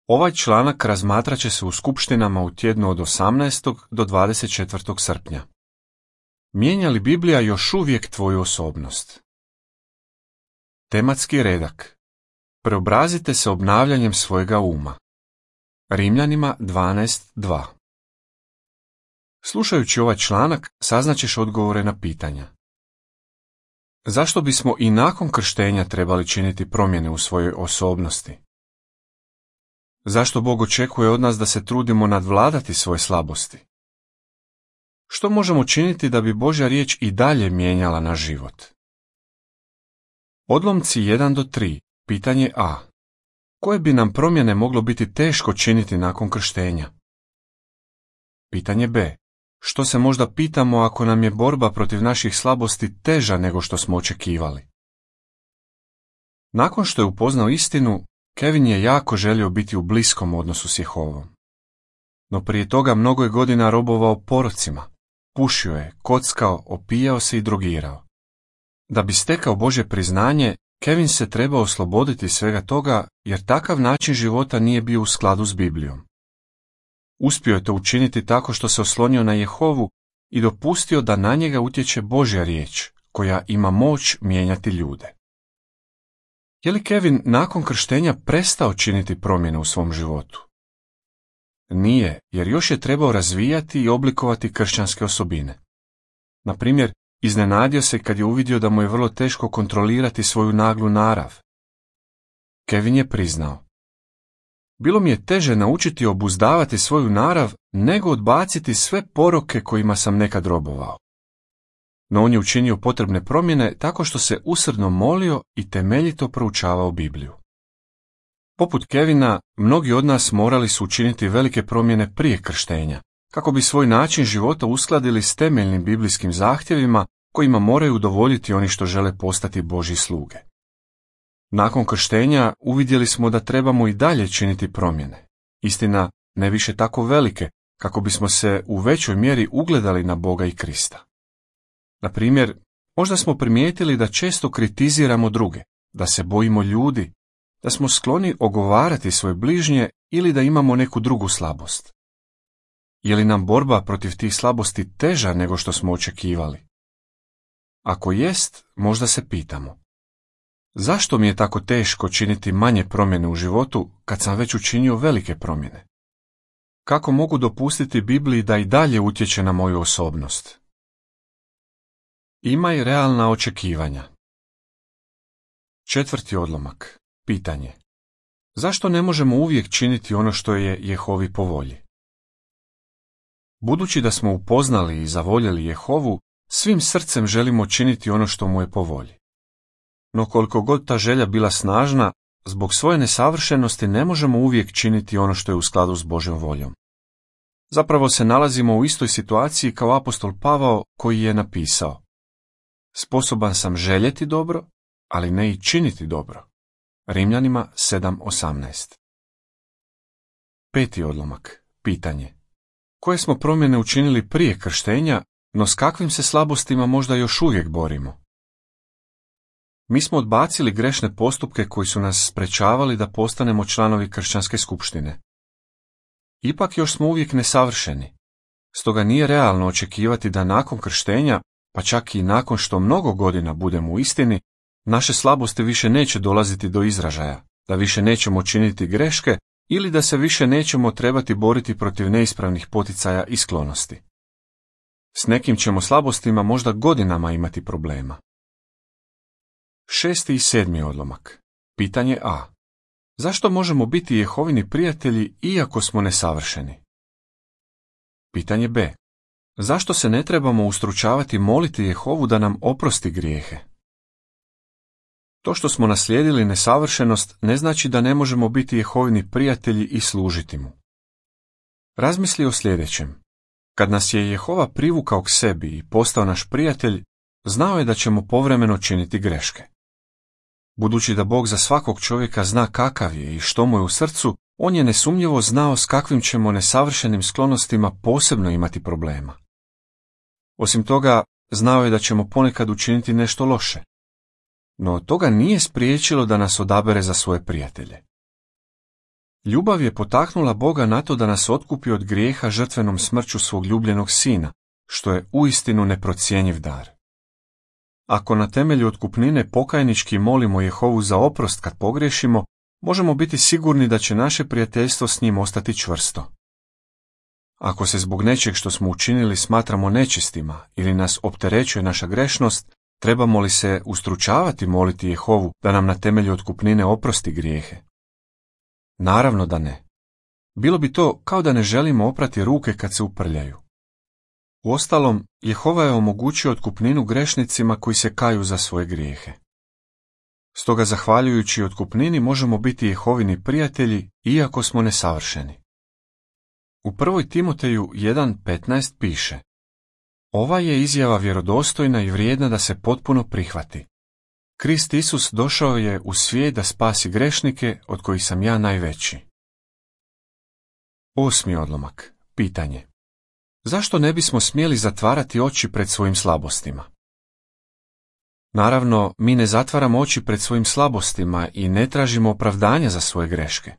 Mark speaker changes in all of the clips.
Speaker 1: Ovaj članak razmatrat će se u skupštinama u tjednu od 18. do 24. srpnja. Mijenja li Biblija još uvijek tvoju osobnost? Tematski redak. Preobrazite se obnavljanjem svojega uma. Rimljanima 12.2. Slušajući ovaj članak, saznaćeš odgovore na pitanja. Zašto bismo i nakon krštenja trebali činiti promjene u svojoj osobnosti? Zašto Bog očekuje od nas da se trudimo nadvladati svoje slabosti? Što možemo činiti da bi Božja riječ i dalje mijenjala naš život? Odlomci 1 do 3. Pitanje A. Koje bi nam promjene moglo biti teško činiti nakon krštenja? Pitanje B. Što se možda pitamo ako nam je borba protiv naših slabosti teža nego što smo očekivali? Nakon što je upoznao istinu, Kevin je jako želio biti u bliskom odnosu s Jehovom. No prije toga mnogo je godina robovao porocima. Pušio je, kockao, opijao se i drogirao. Da bi stekao Božje priznanje, Kevin se trebao osloboditi svega toga jer takav način života nije bio u skladu s Biblijom. Uspio je to učiniti tako što se oslonio na Jehovu i dopustio da na njega utječe Božja riječ, koja ima moć mijenjati ljude. Je li Kevin nakon krštenja prestao činiti promjene u svom životu? Nije, jer još je trebao razvijati i oblikovati kršćanske osobine. Na primjer, iznenadio se kad je uvidio da mu je vrlo teško kontrolirati svoju naglu narav. Kevin je priznao: bilo mi je teže naučiti obuzdavati svoju narav nego odbaciti sve poroke kojima sam nekad robovao. No on je učinio potrebne promjene tako što se usrdno molio i temeljito proučavao Bibliju. Poput Kevina, mnogi od nas morali su učiniti velike promjene prije krštenja, kako bi svoj način života uskladili s temeljnim biblijskim zahtjevima kojima moraju udovoljiti oni što žele postati Božji sluge. Nakon krštenja uvidjeli smo da trebamo i dalje činiti promjene, istina ne više tako velike, kako bismo se u većoj mjeri ugledali na Boga i Krista. Na primjer, možda smo primijetili da često kritiziramo druge, da se bojimo ljudi, da smo skloni ogovarati svoje bližnje ili da imamo neku drugu slabost. Je li nam borba protiv tih slabosti teža nego što smo očekivali? Ako jest, možda se pitamo: zašto mi je tako teško činiti manje promjene u životu kad sam već učinio velike promjene? Kako mogu dopustiti Bibliji da i dalje utječe na moju osobnost? Imaj realna očekivanja. 4. odlomak. Pitanje. Zašto ne možemo uvijek činiti ono što je Jehovi po volji? Budući da smo upoznali i zavoljeli Jehovu, svim srcem želimo činiti ono što mu je po volji. No koliko god ta želja bila snažna, zbog svoje nesavršenosti ne možemo uvijek činiti ono što je u skladu s Božjom voljom. Zapravo se nalazimo u istoj situaciji kao apostol Pavao koji je napisao: sposoban sam željeti dobro, ali ne i činiti dobro. Rimljanima 7.18. 5. odlomak. Pitanje. Koje smo promjene učinili prije krštenja, no s kakvim se slabostima možda još uvijek borimo? Mi smo odbacili grešne postupke koji su nas sprečavali da postanemo članovi kršćanske skupštine. Ipak još smo uvijek nesavršeni, stoga nije realno očekivati da nakon krštenja, pa čak i nakon što mnogo godina budemo u istini, naše slabosti više neće dolaziti do izražaja, da više nećemo činiti greške ili da se više nećemo trebati boriti protiv neispravnih poticaja i sklonosti. S nekim ćemo slabostima možda godinama imati problema. 6. i 7. odlomak. Pitanje A. Zašto možemo biti Jehovini prijatelji iako smo nesavršeni? Pitanje B. Zašto se ne trebamo ustručavati moliti Jehovu da nam oprosti grijehe? To što smo naslijedili nesavršenost ne znači da ne možemo biti Jehovini prijatelji i služiti mu. Razmisli o sljedećem. Kad nas je Jehova privukao k sebi i postao naš prijatelj, znao je da ćemo povremeno činiti greške. Budući da Bog za svakog čovjeka zna kakav je i što mu je u srcu, on je nesumnjivo znao s kakvim ćemo nesavršenim sklonostima posebno imati problema. Osim toga, znao je da ćemo ponekad učiniti nešto loše. No toga nije spriječilo da nas odabere za svoje prijatelje. Ljubav je potaknula Boga na to da nas otkupi od grijeha žrtvenom smrću svog ljubljenog sina, što je uistinu neprocjenjiv dar. Ako na temelju otkupnine pokajnički molimo Jehovu za oprost kad pogriješimo, možemo biti sigurni da će naše prijateljstvo s njim ostati čvrsto. Ako se zbog nečeg što smo učinili smatramo nečistima ili nas opterećuje naša grešnost, trebamo li se ustručavati moliti Jehovu da nam na temelju otkupnine oprosti grijehe? Naravno da ne. Bilo bi to kao da ne želimo oprati ruke kad se uprljaju. Uostalom, Jehova je omogućio otkupninu grešnicima koji se kaju za svoje grijehe. Stoga, zahvaljujući otkupnini, možemo biti Jehovini prijatelji, iako smo nesavršeni. U 1. Timoteju 1.15 piše: Ova je izjava vjerodostojna i vrijedna da se potpuno prihvati. Krist Isus došao je u svijet da spasi grešnike, od kojih sam ja najveći. 8. odlomak. Pitanje: zašto ne bismo smjeli zatvarati oči pred svojim slabostima? Naravno, mi ne zatvaramo oči pred svojim slabostima i ne tražimo opravdanja za svoje greške.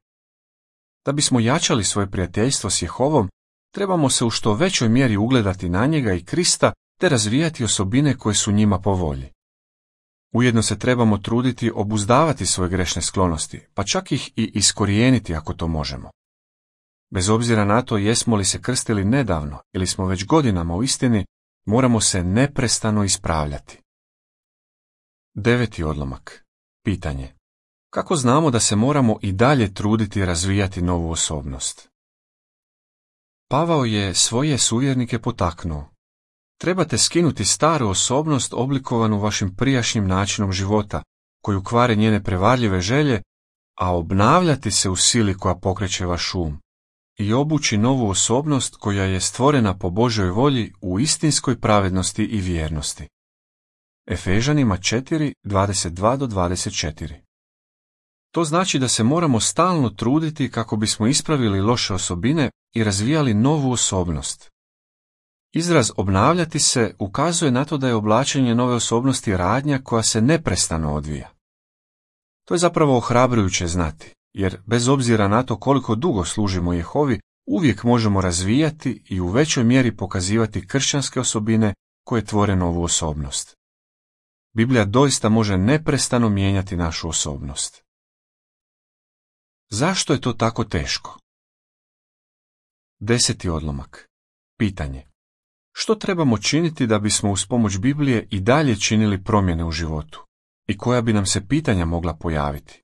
Speaker 1: Da bismo jačali svoje prijateljstvo s Jehovom, trebamo se u što većoj mjeri ugledati na njega i Krista te razvijati osobine koje su njima po volji. Ujedno se trebamo truditi obuzdavati svoje grešne sklonosti, pa čak ih i iskorijeniti ako to možemo. Bez obzira na to jesmo li se krstili nedavno ili smo već godinama u istini, moramo se neprestano ispravljati. 9. odlomak. Pitanje: kako znamo da se moramo i dalje truditi i razvijati novu osobnost? Pavao je svoje suvjernike potaknuo: trebate skinuti staru osobnost oblikovanu vašim prijašnjim načinom života, koju kvare njene prevarljive želje, a obnavljati se u sili koja pokreće vaš um, i obući novu osobnost koja je stvorena po Božjoj volji u istinskoj pravednosti i vjernosti. Efežanima 4:22-24. To znači da se moramo stalno truditi kako bismo ispravili loše osobine i razvijali novu osobnost. Izraz obnavljati se ukazuje na to da je oblačenje nove osobnosti radnja koja se neprestano odvija. To je zapravo ohrabrujuće znati, jer bez obzira na to koliko dugo služimo Jehovi, uvijek možemo razvijati i u većoj mjeri pokazivati kršćanske osobine koje tvore novu osobnost. Biblija doista može neprestano mijenjati našu osobnost. Zašto je to tako teško? 10. odlomak. Pitanje: što trebamo činiti da bismo uz pomoć Biblije i dalje činili promjene u životu? I koja bi nam se pitanja mogla pojaviti?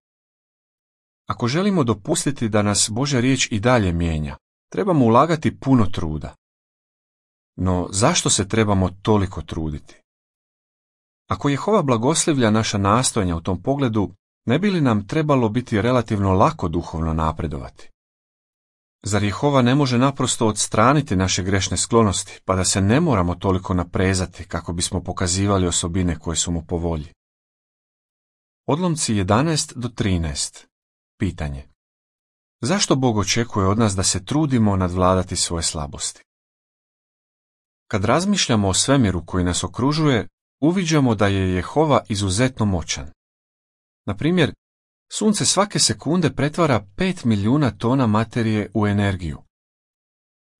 Speaker 1: Ako želimo dopustiti da nas Božja riječ i dalje mijenja, trebamo ulagati puno truda. No zašto se trebamo toliko truditi? Ako Jehova blagoslivlja naša nastojanja u tom pogledu, ne bi li nam trebalo biti relativno lako duhovno napredovati? Zar Jehova ne može naprosto odstraniti naše grešne sklonosti, pa da se ne moramo toliko naprezati kako bismo pokazivali osobine koje su mu po volji? Odlomci 11-13. Pitanje: zašto Bog očekuje od nas da se trudimo nadvladati svoje slabosti? Kad razmišljamo o svemiru koji nas okružuje, uviđamo da je Jehova izuzetno moćan. Na primjer, Sunce svake sekunde pretvara 5 milijuna tona materije u energiju.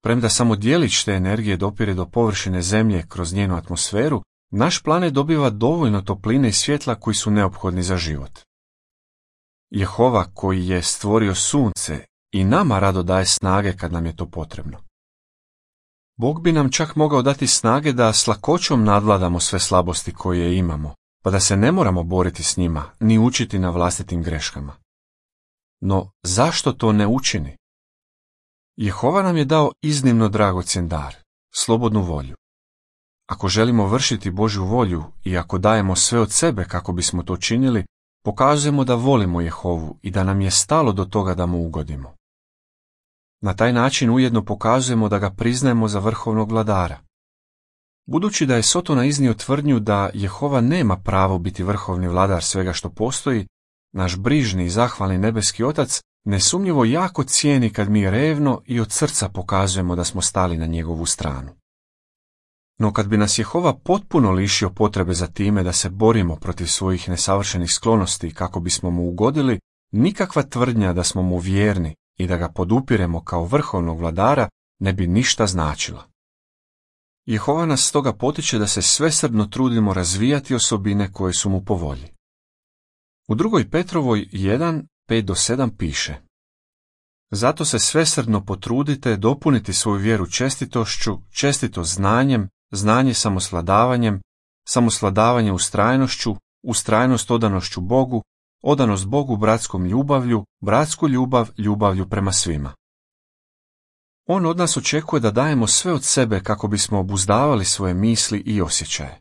Speaker 1: Premda samo djelić te energije dopire do površine Zemlje kroz njenu atmosferu, naš planet dobiva dovoljno topline i svjetla koji su neophodni za život. Jehova koji je stvorio Sunce i nama rado daje snage kad nam je to potrebno. Bog bi nam čak mogao dati snage da s lakoćom nadvladamo sve slabosti koje imamo, pa da se ne moramo boriti s njima, ni učiti na vlastitim greškama. No, zašto to ne učini? Jehova nam je dao iznimno dragocjen dar, slobodnu volju. Ako želimo vršiti Božju volju i ako dajemo sve od sebe kako bismo to činili, pokazujemo da volimo Jehovu i da nam je stalo do toga da mu ugodimo. Na taj način ujedno pokazujemo da ga priznajemo za vrhovnog vladara. Budući da je Sotona iznio tvrdnju da Jehova nema pravo biti vrhovni vladar svega što postoji, naš brižni i zahvalni nebeski Otac nesumnjivo jako cijeni kad mi revno i od srca pokazujemo da smo stali na njegovu stranu. No kad bi nas Jehova potpuno lišio potrebe za time da se borimo protiv svojih nesavršenih sklonosti kako bismo mu ugodili, nikakva tvrdnja da smo mu vjerni i da ga podupiremo kao vrhovnog vladara ne bi ništa značila. Jehova nas stoga potiče da se svesrdno trudimo razvijati osobine koje su mu po volji. U 2. Petrovoj 1, 5-7 piše: Zato se svesrdno potrudite dopuniti svoju vjeru čestitošću, čestitost znanjem, znanje samosvladavanjem, samosvladavanje ustrajnošću, ustrajnost odanošću Bogu, odanost Bogu bratskom ljubavlju, bratsku ljubav ljubavlju prema svima. On od nas očekuje da dajemo sve od sebe kako bismo obuzdavali svoje misli i osjećaje.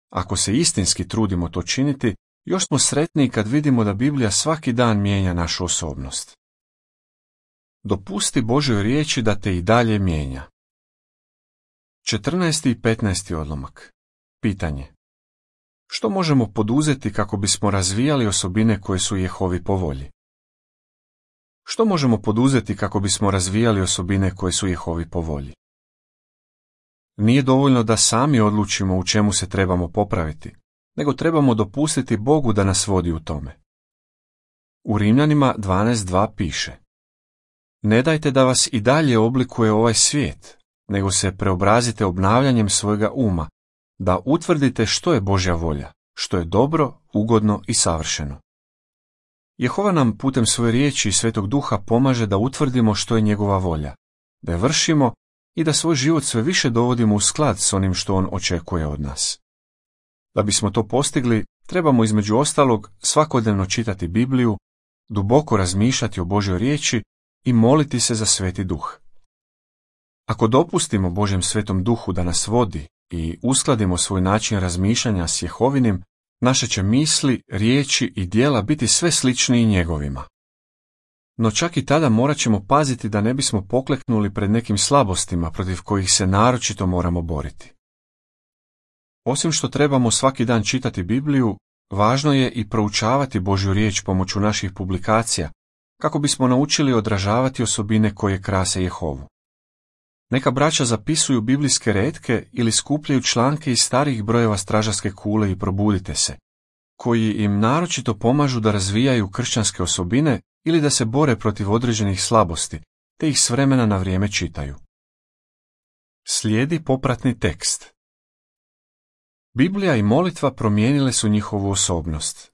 Speaker 1: Ako se istinski trudimo to činiti, još smo sretniji kad vidimo da Biblija svaki dan mijenja našu osobnost. Dopusti Božjoj riječi da te i dalje mijenja. 14. i 15. odlomak. Pitanje: što možemo poduzeti kako bismo razvijali osobine koje su Jehovi po volji? Što možemo poduzeti kako bismo razvijali osobine koje su Jehovi po volji? Nije dovoljno da sami odlučimo u čemu se trebamo popraviti, nego trebamo dopustiti Bogu da nas vodi u tome. U Rimljanima 12.2 piše: Ne dajte da vas i dalje oblikuje ovaj svijet, nego se preobrazite obnavljanjem svojega uma, da utvrdite što je Božja volja, što je dobro, ugodno i savršeno. Jehova nam putem svoje riječi i Svetog Duha pomaže da utvrdimo što je njegova volja, da je vršimo i da svoj život sve više dovodimo u sklad s onim što on očekuje od nas. Da bismo to postigli, trebamo između ostalog svakodnevno čitati Bibliju, duboko razmišljati o Božjoj riječi i moliti se za Sveti Duh. Ako dopustimo Božjem Svetom Duhu da nas vodi i uskladimo svoj način razmišljanja s Jehovinim, naše će misli, riječi i djela biti sve sličniji njegovima. No čak i tada morat ćemo paziti da ne bismo pokleknuli pred nekim slabostima protiv kojih se naročito moramo boriti. Osim što trebamo svaki dan čitati Bibliju, važno je i proučavati Božju riječ pomoću naših publikacija, kako bismo naučili odražavati osobine koje krase Jehovu. Neka braća zapisuju biblijske retke ili skupljaju članke iz starih brojeva stražarske kule i probudite se, koji im naročito pomažu da razvijaju kršćanske osobine ili da se bore protiv određenih slabosti, te ih s vremena na vrijeme čitaju. Slijedi popratni tekst. Biblija i molitva promijenile su njihovu osobnost.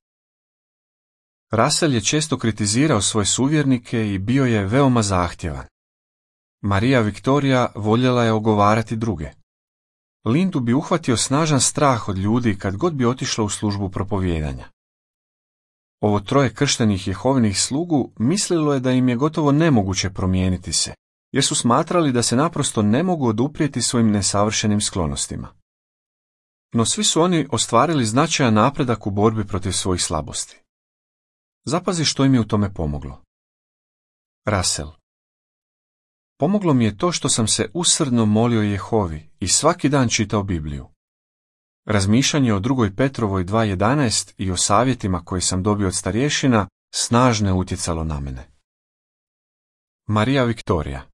Speaker 1: Russell je često kritizirao svoje suvjernike i bio je veoma zahtjevan. Marija Viktorija voljela je ogovarati druge. Lindu bi uhvatio snažan strah od ljudi kad god bi otišla u službu propovijedanja. Ovo troje krštenih Jehovinih slugu mislilo je da im je gotovo nemoguće promijeniti se, jer su smatrali da se naprosto ne mogu oduprijeti svojim nesavršenim sklonostima. No svi su oni ostvarili značajan napredak u borbi protiv svojih slabosti. Zapazi što im je u tome pomoglo. Russell: pomoglo mi je to što sam se usrdno molio Jehovi i svaki dan čitao Bibliju. Razmišljanje o 2. Petrovoj 2.11 i o savjetima koje sam dobio od starješina snažno je utjecalo na mene. Marija Viktorija: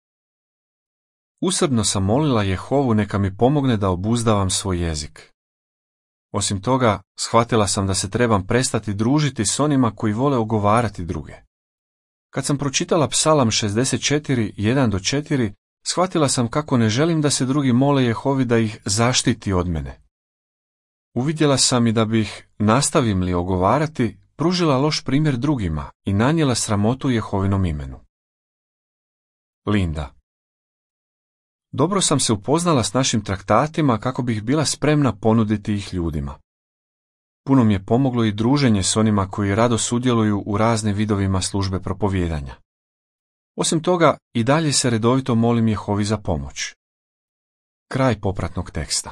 Speaker 1: usrdno sam molila Jehovu neka mi pomogne da obuzdavam svoj jezik. Osim toga, shvatila sam da se trebam prestati družiti s onima koji vole ogovarati druge. Kad sam pročitala Psalam 64, 1-4, shvatila sam kako ne želim da se drugi mole Jehovi da ih zaštiti od mene. Uvidjela sam i da bih, nastavim li ogovarati, pružila loš primjer drugima i nanijela sramotu Jehovinom imenu. Linda: dobro sam se upoznala s našim traktatima kako bih bila spremna ponuditi ih ljudima. Puno mi je pomoglo i druženje s onima koji rado sudjeluju u raznim vidovima službe propovijedanja. Osim toga, i dalje se redovito molim Jehovi za pomoć. Kraj popratnog teksta.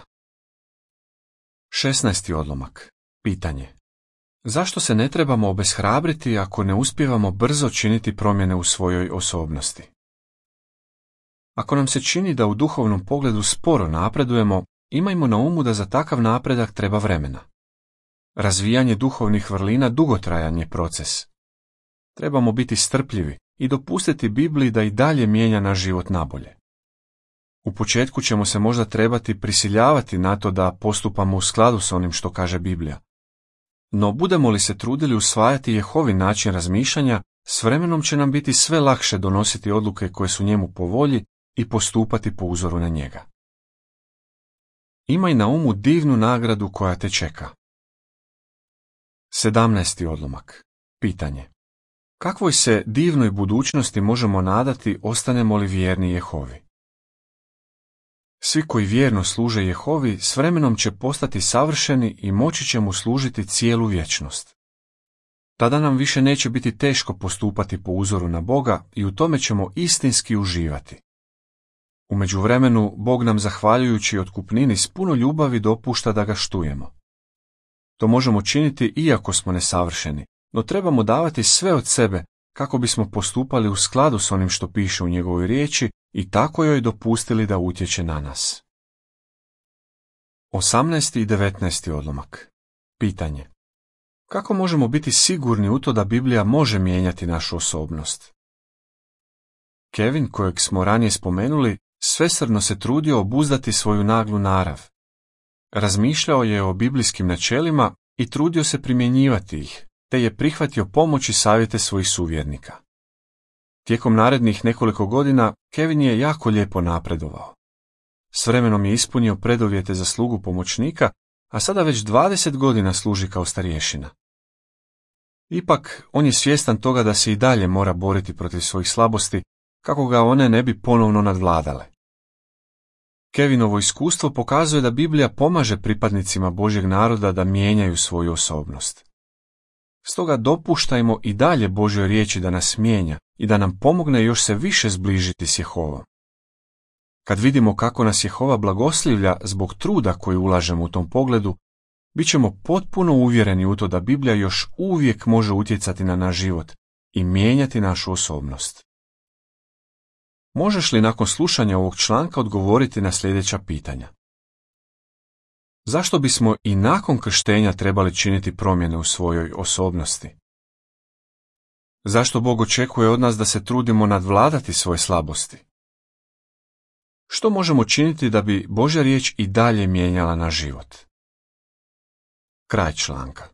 Speaker 1: 16. odlomak. Pitanje: zašto se ne trebamo obeshrabriti ako ne uspijevamo brzo činiti promjene u svojoj osobnosti? Ako nam se čini da u duhovnom pogledu sporo napredujemo, imajmo na umu da za takav napredak treba vremena. Razvijanje duhovnih vrlina dugotrajan je proces. Trebamo biti strpljivi i dopustiti Bibliji da i dalje mijenja naš život nabolje. U početku ćemo se možda trebati prisiljavati na to da postupamo u skladu s onim što kaže Biblija. No budemo li se trudili usvajati Jehovin način razmišljanja, s vremenom će nam biti sve lakše donositi odluke koje su njemu po volji i postupati po uzoru na njega. Imaj na umu divnu nagradu koja te čeka. 17. odlomak. Pitanje. Kakvoj se divnoj budućnosti možemo nadati ostanemo li vjerni Jehovi? Svi koji vjerno služe Jehovi s vremenom će postati savršeni i moći će mu služiti cijelu vječnost. Tada nam više neće biti teško postupati po uzoru na Boga i u tome ćemo istinski uživati. U međuvremenu Bog nam zahvaljujući otkupnini s puno ljubavi dopušta da ga štujemo. To možemo činiti iako smo nesavršeni, no trebamo davati sve od sebe kako bismo postupali u skladu s onim što piše u njegovoj riječi i tako joj dopustili da utječe na nas. 18. i 19. odlomak. Pitanje. Kako možemo biti sigurni u to da Biblija može mijenjati našu osobnost? Kevin, kojeg smo ranije spomenuli, svesrdno se trudio obuzdati svoju naglu narav. Razmišljao je o biblijskim načelima i trudio se primjenjivati ih, te je prihvatio pomoć i savjete svojih suvjernika. Tijekom narednih nekoliko godina Kevin je jako lijepo napredovao. S vremenom je ispunio preduvjete za slugu pomoćnika, a sada već 20 godina služi kao starješina. Ipak, on je svjestan toga da se i dalje mora boriti protiv svojih slabosti, kako ga one ne bi ponovno nadvladale. Kevinovo iskustvo pokazuje da Biblija pomaže pripadnicima Božjeg naroda da mijenjaju svoju osobnost. Stoga dopuštajmo i dalje Božjoj riječi da nas mijenja i da nam pomogne još se više zbližiti s Jehovom. Kad vidimo kako nas Jehova blagoslivlja zbog truda koji ulažemo u tom pogledu, bit ćemo potpuno uvjereni u to da Biblija još uvijek može utjecati na naš život i mijenjati našu osobnost. Možeš li nakon slušanja ovog članka odgovoriti na sljedeća pitanja? Zašto bismo i nakon krštenja trebali činiti promjene u svojoj osobnosti? Zašto Bog očekuje od nas da se trudimo nadvladati svoje slabosti? Što možemo činiti da bi Božja riječ i dalje mijenjala naš život? Kraj članka.